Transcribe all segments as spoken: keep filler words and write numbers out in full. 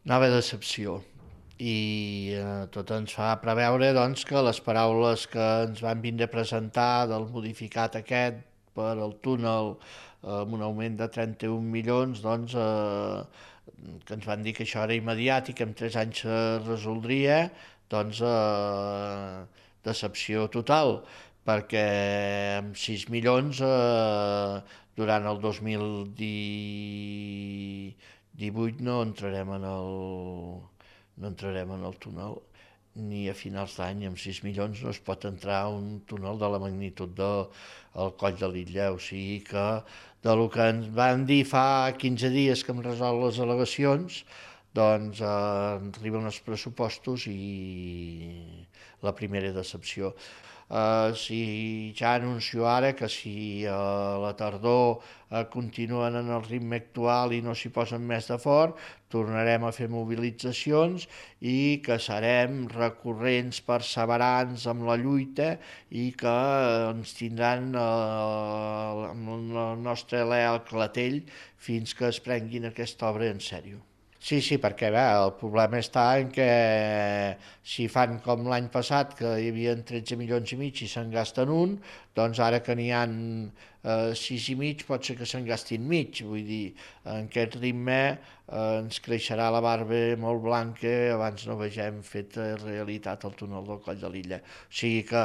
Nova decepció. I eh, tot ens fa preveure doncs, que les paraules que ens van vindre a presentar del modificat aquest per al túnel eh, amb un augment de trenta-un milions, doncs, eh, que ens van dir que això era immediat i que en tres anys se resoldria, doncs eh, decepció total, perquè amb sis milions eh, durant el dos mil divuit no entrarem en el, no entrarem en el túnel ni a finals d'any. Amb sis milions no es pot entrar a un túnel de la magnitud del de, Coll de l'Illa. O sigui que del que ens van dir fa quinze dies que hem resolt les al·legacions, doncs eh, arriben els pressupostos i la primera decepció. Uh, si ja anuncio ara que si a uh, la tardor uh, continuen en el ritme actual i no s'hi posen més de fort, tornarem a fer mobilitzacions i que serem recurrents, perseverants amb la lluita i que uh, ens tindran uh, amb el nostre alè al clatell fins que es prenguin aquesta obra en sèrio. Sí, sí, perquè bé, el problema està en que si fan com l'any passat, que hi havia tretze milions i mig i se'n gasten un, doncs ara que n'hi han eh, sis i mig pot ser que se'n gastin mig. Vull dir, en aquest ritme eh, ens creixerà la barba molt blanca abans no vegem feta realitat el túnel del Coll de l'Illa. O sigui que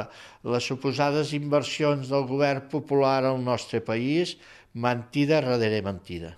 les suposades inversions del govern popular al nostre país, mentida darrere mentida.